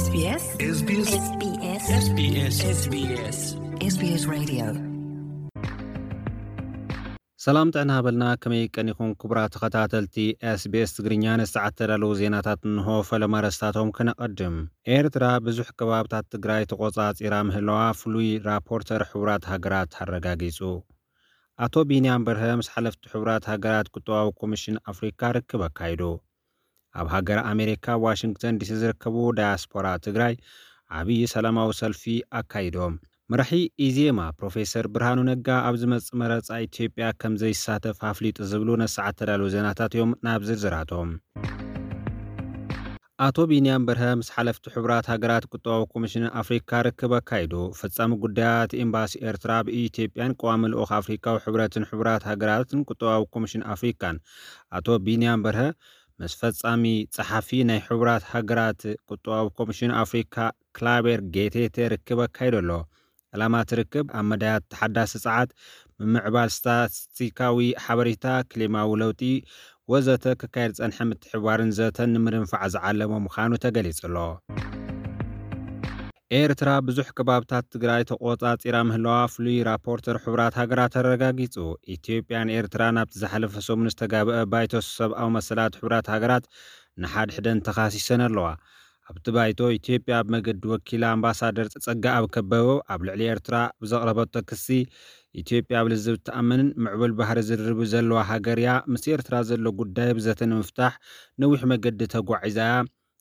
SBS SBS SBS SBS SBS Radio. ሰላም ጥዕና ሃበልና። ከመይ ቀኒኹም ክቡራት ተኸታተልቲ SBS ትግርኛ? ንሰዓት ተዳለዉ ዜናታት እንሆ። ፈለማ ኣርእስታቶም ክነቐድም። ኤርትራ ብዙሕ ከባብታት ትግራይ ተቖጻጺራ ምህላዋ ፍሉይ ራፖርተር ሕቡራት ሃገራት ኣረጋጊጹ። ኣቶ ቢንያም በርሀ ምስ ሓለፍቲ ሕቡራት ሃገራት ቁጠባዊ ኮሚሽን ኣፍሪካ ርክብ ኣካይዱ። ኣብ ሃገር ኣሜሪካ ዋሽንግተን ዲሲ ዝርከቡ ዳያስፖራ ትግራይ ዓብዪ ሰላማዊ ሰልፊ ኣካይዶም። መራሒ ኢዜማ ፕሮፌሰር ብርሃኑ ነጋ ኣብ ዝመጽእ መረጻ ኢትዮጵያ ከም ዘይሳተፍ ኣፍሊጡ ዝብሉ ነሰዓት ተዳለዉ ዜናታት እዮም። ናብ ዝርዝራቶም። ኣቶ ቢንያም በርሀ ምስ ሓለፍቲ ሕቡራት ሃገራት ቁጠባዊ ኮሚሽን ኣፍሪካ ርክብ ኣካይዱ። ፈጻሚ ጉዳያት ኤምባሲ ኤርትራ ኣብ ኢትዮጵያን ቀዋሚ ልኡኽ ኣፍሪካዊ ሕብረትን ሕቡራት ሃገራትን ቁጠባዊ ኮሚሽን ኣፍሪካን ኣቶ ቢንያም በርሀ ምስ ፈጻሚ ጸሓፊ ናይ ሕቡራት ሃገራት ቁጠባዊ ኮሚሽን ኣፍሪካ ክላቤር ጌቴቴ ርክብ ኣካይዱ ኣሎ። ዕላማ እቲ ርክብ ኣብ መዳያት ተሓዳሲ ጸዓት፣ ምምዕባል ስታትስቲካዊ ሓበሬታ፣ ክሊማዊ ለውጢ ወዘተ ክካየድ ዝጸንሐ ምትሕብባርን ዘተን ንምድንፋዕ ዝዓለመ ምዃኑ ተገሊጹ ኣሎ። ኤርትራ ብዙሕ ከባብታት ትግራይ ተቖጻጺራ ምህላዋ ፍሉይ ራፖርተር ሕቡራት ሃገራት ኣረጋጊጹ። ኢትዮጵያን ኤርትራን ኣብቲ ዝሓለፈ ሰሙን ዝተጋብአ ባይቶ ሰብኣዊ መሰላት ሕቡራት ሃገራት ንሓድሕደን ተኻሲሰን ኣለዋ። ኣብቲ ባይቶ ኢትዮጵያ ኣብ መገዲ ወኪላ ኣምባሳደር ጸጋኣብ ከበበው ኣብ ልዕሊ ኤርትራ ብዘቕረበቶ ክሲ፣ ኢትዮጵያ ኣብ ልዝብ ትኣምንን ምዕቡል ባህሪ ዝርርብ ዘለዋ ሃገር እያ። ምስ ኤርትራ ዘሎ ጉዳይ ብዘተ ንምፍታሕ ነዊሕ መገዲ ተጓዒዛ እያ።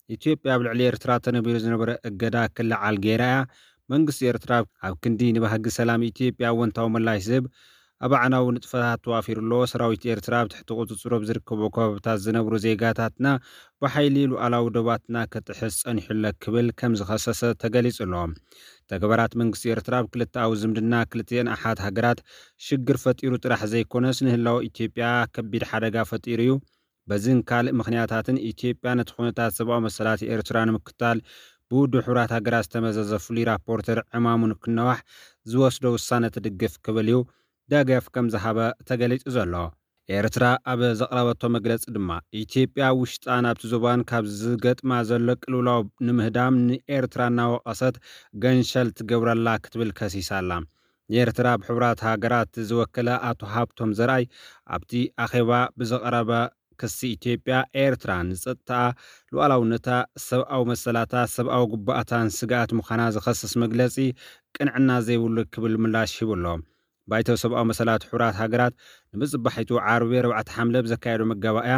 ኢትዮጵያ ኣብ ልዕሊ ኤርትራ ተነቢሩ ዝነበረ እገዳ ክለዓል ገይራ እያ። መንግስቲ ኤርትራ ኣብ ክንዲ ንባህጊ ሰላም ኢትዮጵያ ኣወንታዊ ምላሽ ዝህብ ኣብ ኣዕናዊ ንጥፈታት ተዋፊሩ ኣሎ። ሰራዊት ኤርትራ ኣብ ትሕቲ ቁጽጽሩ ኣብ ዝርከቡ ከባብታት ዝነብሩ ዜጋታትና ብሓይሊ ሉዓላዊ ዶባትና ክጥሕስ ጸኒሑ ኣሎ ክብል ከም ዝኸሰሰ ተገሊጹ ኣሎ። ተግባራት መንግስቲ ኤርትራ ኣብ ክልተኣዊ ዝምድና ክልቲኤን ኣሓት ሃገራት ሽግር ፈጢሩ ጥራሕ ዘይኮነስ ንህላወ ኢትዮጵያ ከቢድ ሓደጋ ፈጢሩ እዩ። በዝን ካልእ ምኽንያታትን ኢትዮጵያ ነቲ ኩነታት ሰብኣዊ መሰላት ኤርትራ ንምክታል ብውድብ ሕቡራት ሃገራት ዝተመዘዘ ፍሉይ ራፖርተር ዕማሙ ንክነዋሕ ዝወስዶ ውሳነ ትድግፍ ክብል እዩ ደገፍ ከም ዝሃበ ተገሊጹ ዘሎ። ኤርትራ ኣብ ዘቕረበቶ መግለጺ ድማ፣ ኢትዮጵያ ውሽጣን ኣብቲ ዞባን ካብ ዝገጥማ ዘሎ ቅልውላው ንምህዳም ንኤርትራ እናወቐሰት ገንሸል ትገብረላ ክትብል ከሲሳ ኣላ። ንኤርትራ ኣብ ሕቡራት ሃገራት ዝወከለ ኣቶ ሃብቶም ዘርኣይ ኣብቲ ኣኼባ ብዘቕረበ ክሲ፣ ኢትዮጵያ ኤርትራ ንጸጥታኣ፣ ሉዓላውነታ፣ ሰብኣዊ መሰላታ፣ ሰብኣዊ ግቡኣታን ስግኣት ምዃና ዝኸስስ መግለጺ ቅንዕና ዘይብሉ ክብል ምላሽ ሂቡ ኣሎ። ባይቶ ሰብኣዊ መሰላት ሕቡራት ሃገራት ንምጽባሒቱ ዓርቢ ኣርባዕተ ሓምለ ብዘካየዶ መጋባእያ፣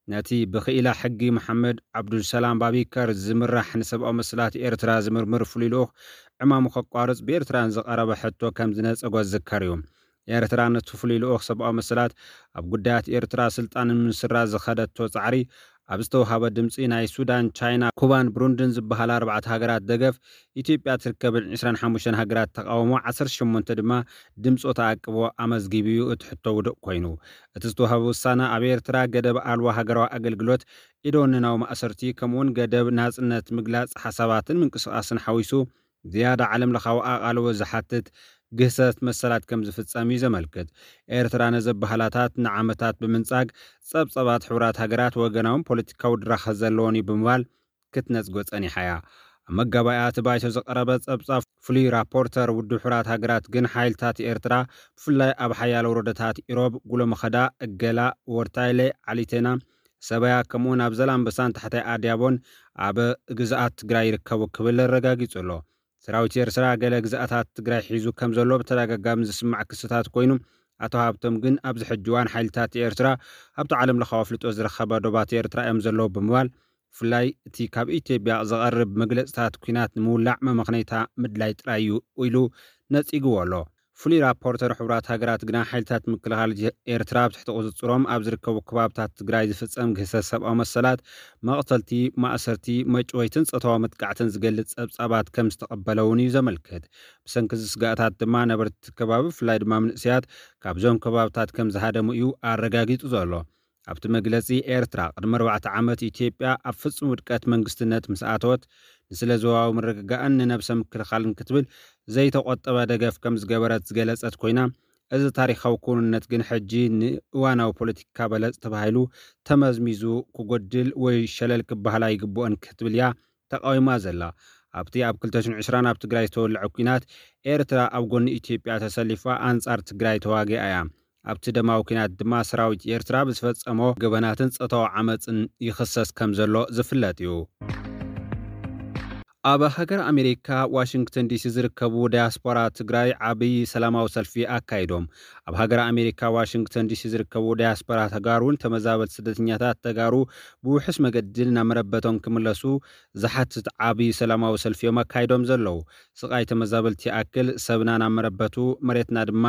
ነቲ ብኽኢላ ሕጊ መሓመድ ዓብዱልሰላም ባቢከር ዝምራሕ ንሰብኣዊ መሰላት ኤርትራ ዝምርምር ፍሉይ ልኡኽ ዕማሙ ከቋርጽ ብኤርትራን ዝቐረበ ሕቶ ከም ዝነጸጎ ዝዝከር እዩ። ኤርትራ ነቲ ፍሉይ ልኡኽ ሰብኣዊ መሰላት ኣብ ጉዳያት ኤርትራ ስልጣን ንምስራ ዝኸደቶ ጻዕሪ ኣብ ዝተውሃበ ድምጺ፣ ናይ ሱዳን፣ ቻይና፣ ኩባን ብሩንድን ዝበሃላ ኣርባዕተ ሃገራት ደገፍ፣ ኢትዮጵያ ትርከበን ዕስራን ሓሙሽተን ሃገራት ተቓውሞ፣ ዓሰርተ ሸሞንተ ድማ ድምጾ ተኣቅቦ ኣመዝጊቡ እዩ። እቲ ሕቶ ውዱእ ኮይኑ፣ እቲ ዝተውሃበ ውሳነ ኣብ ኤርትራ ገደብ ኣልቦ ሃገራዊ ኣገልግሎት፣ ኢደወነናዊ ማእሰርቲ፣ ከምኡውን ገደብ ናጽነት ምግላጽ ሓሳባትን ምንቅስቓስን ሓዊሱ ዝያዳ ዓለም ለኻዊ ኣቓልቦ ዝሓትት ግህሰት መሰላት ከም ዝፍጸም እዩ ዘመልክት። ኤርትራ ነዚ ኣበሃህላታት ንዓመታት ብምንጻግ፣ ጸብጻባት ሕቡራት ሃገራት ወገናውን ፖለቲካዊ ድራኸ ዘለዎን እዩ ብምባል ክትነጽጎ ጸኒሓ እያ። ኣብ መጋባእያ እቲ ባይቶ ዝቐረበ ጸብጻብ፣ ፍሉይ ራፖርተር ውድብ ሕቡራት ሃገራት ግን፣ ሓይልታት ኤርትራ ብፍላይ ኣብ ሓያሎ ወረዳታት ኢሮብ፣ ጉሎመኸዳ፣ እገላ፣ ወርታይለ፣ ዓሊቴና፣ ሰበያ፣ ከምኡውን ኣብ ዘላንበሳን ታሕታይ ኣድያቦን ኣብ ግዝኣት ትግራይ ይርከቡ ክብል ኣረጋጊጹ ኣሎ። ሰራዊት ኤርትራ ገለ ግዝኣታት ትግራይ ሒዙ ከም ዘሎ ብተደጋጋሚ ዝስማዕ ክስታት ኮይኑ፣ ኣቶ ሃብቶም ግን ኣብዚ ሕጂ እዋን ሓይልታት ኤርትራ ኣብቲ ዓለም ለኻዊ ኣፍልጦ ዝረኸበ ዶባት ኤርትራ እዮም ዘለዉ ብምባል፣ ብፍላይ እቲ ካብ ኢትዮጵያ ዝቐርብ መግለጽታት ኲናት ንምውላዕ መመኽነይታ ምድላይ ጥራይ እዩ ኢሉ ነጺግዎ ኣሎ። ፍሉይ ራፖርተር ሕቡራት ሃገራት ግና፣ ሓይልታት ምክልኻል ኤርትራ ኣብ ትሕቲ ቁጽጽሮም ኣብ ዝርከቡ ከባብታት ትግራይ ዝፍጸም ግህሰት ሰብኣዊ መሰላት፣ መቕተልቲ፣ ማእሰርቲ፣ መጭወይትን ጾታዊ መጥቃዕትን ዝገልጽ ጸብጻባት ከም ዝተቐበለ እውን እዩ ዘመልክት። ብሰንኪ እዚ ስጋኣታት ድማ ነበርቲ እቲ ከባቢ፣ ብፍላይ ድማ መንእሰያት፣ ካብዞም ከባብታት ከም ዝሃደሙ እዩ ኣረጋጊጹ ዘሎ። ኣብቲ መግለጺ፣ ኤርትራ ቅድሚ ኣርባዕተ ዓመት ኢትዮጵያ ኣብ ፍጹም ውድቀት መንግስትነት ምስ ኣተወት፣ ንስለ ዞባዊ ምርግጋእን ንነብሰ ምክልኻልን ክትብል ዘይተቖጠበ ደገፍ ከም ዝገበረት ዝገለጸት ኮይና፣ እዚ ታሪኻዊ ክውንነት ግን ሕጂ ንእዋናዊ ፖለቲካ በለጽ ተባሂሉ ተመዝሚዙ ክጎድል ወይ ሸለል ክበሃል ኣይግብኦን ክትብል እያ ተቓዊማ ዘላ። ኣብቲ ኣብ ክልተ ሽሕን ዕስራን ኣብ ትግራይ ዝተወልዐ ኲናት፣ ኤርትራ ኣብ ጎኒ ኢትዮጵያ ተሰሊፋ ኣንጻር ትግራይ ተዋጊኣ እያ። ኣብቲ ደማዊ ኲናት ድማ ሰራዊት ኤርትራ ብዝፈጸሞ ገበናትን ጾታዊ ዓመጽን ይኽሰስ ከም ዘሎ ዝፍለጥ እዩ። ኣብ ሃገር ኣሜሪካ ዋሽንግተን ዲሲ ዝርከቡ ዳያስፖራ ትግራይ ዓብዪ ሰላማዊ ሰልፊ ኣካይዶም። ኣብ ሃገር ኣሜሪካ ዋሽንግተን ዲሲ ዝርከቡ ዳያስፖራ ተጋሩን ተመዛበልቲ ስደተኛታት ተጋሩ ብውሑስ መገዲ ናብ መረበቶም ክምለሱ ዝሓትት ዓብዪ ሰላማዊ ሰልፊ እዮም ኣካይዶም ዘለዉ። ስቓይ ተመዛበልቲ ይኣክል፣ ሰብና ናብ መረበቱ፣ መሬትና ድማ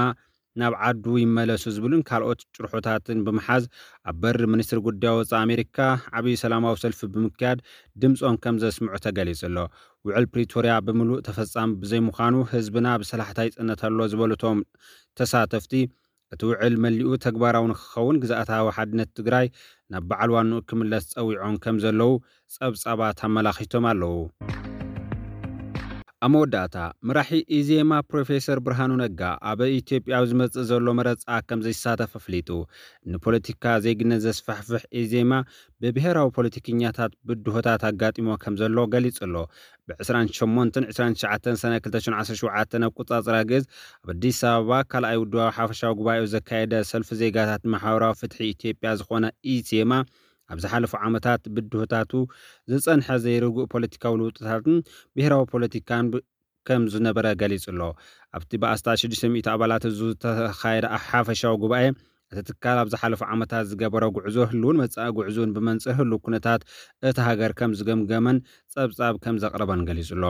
ናብ ዓዱ ይመለሱ ዝብሉን ካልኦት ጭርሖታትን ብምሓዝ ኣብ በሪ ሚኒስትሪ ጉዳይ ወፃኢ ኣሜሪካ ዓብዪ ሰላማዊ ሰልፊ ብምክያድ ድምፆም ከም ዘስምዑ ተገሊጹ ኣሎ። ውዕል ፕሪቶርያ ብምሉእ ተፈጻሚ ብዘይምዃኑ ህዝብና ብሰላሕታ ይጽነት ኣሎ ዝበሉ እቶም ተሳተፍቲ፣ እቲ ውዕል መሊኡ ተግባራዊ ንክኸውን ግዝኣታዊ ሓድነት ትግራይ ናብ በዓል ዋንኡ ክምለስ ጸዊዖም ከም ዘለዉ ጸብጻባት ኣመላኺቶም ኣለዉ። ኣብ መወዳእታ፣ መራሒ ኢዜማ ፕሮፌሰር ብርሃኑ ነጋ ኣብ ኢትዮጵያ ኣብ ዝመጽእ ዘሎ መረጻ ከም ዘይሳተፍ ኣፍሊጡ። ንፖለቲካ ዜግነት ዘስፋሕፍሕ ኢዜማ ብብሄራዊ ፖለቲከኛታት ብድሆታት ኣጋጢሞ ከም ዘሎ ገሊጹ ኣሎ። ብ ዕስራን ሸሞንተን ዕስራን ትሽዓተን ሰነ ክልተ ሽሕን ዓሰርተ ሸውዓተን ኣቆጻጽራ ግእዝ ኣብ ኣዲስ ኣበባ ካልኣይ ውድባዊ ሓፈሻዊ ጉባኤኡ ዘካየደ ሰልፊ ዜጋታት ማሕበራዊ ፍትሒ ኢትዮጵያ ዝኾነ ኢዜማ፣ ኣብ ዝሓለፉ ዓመታት ብድሆታቱ ዝጸንሐ ዘይርጉእ ፖለቲካዊ ለውጥታትን ብሄራዊ ፖለቲካን ብ-፣ ከም ዝነበረ ገሊጹ ኣሎ። ኣብቲ ብኣስታት ሽዱሽተ ሚእቲ ኣባላት ህዝቢ ዝተኻየደ ሓፈሻዊ ጉባኤ፣ እቲ ትካል ኣብ ዝሓለፉ ዓመታት ዝገበሮ ጉዕዞ፣ ህልውን መጻኢ ጉዕዞን ብመንጽር ህልው ኩነታት እታ ሃገር ከም ዝገምገመን ጸብጻብ ከም ዘቕረበን ገሊጹ ኣሎ።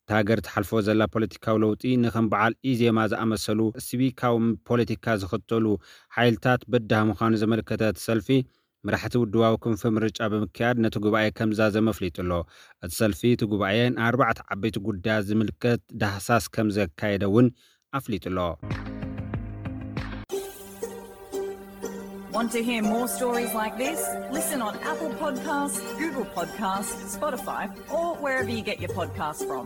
እታ ሃገር ትሓልፎ ዘላ ፖለቲካዊ ለውጢ ንከም በዓል ኢዜማ ዝኣመሰሉ ሲቪካዊ ፖለቲካ ዝኽተሉ ሓይልታት በዳህ ምዃኑ ዘመልከተ እቲ ሰልፊ፣ መራሕቲ ውድባዊ ክንፊ ምርጫ ብምክያድ ነቲ ጉባኤ ከም ዝዛዘመ ኣፍሊጡ ኣሎ። እቲ ሰልፊ እቲ ጉባኤ ንኣርባዕተ ዓበይቲ ጉዳያት ዝምልከት ዳህሳስ ከም ዘካየደ እውን ኣፍሊጡ ኣሎ። Want to hear more stories like this? Listen on Apple Podcasts, Google Podcasts, Spotify, or wherever you get your podcasts from.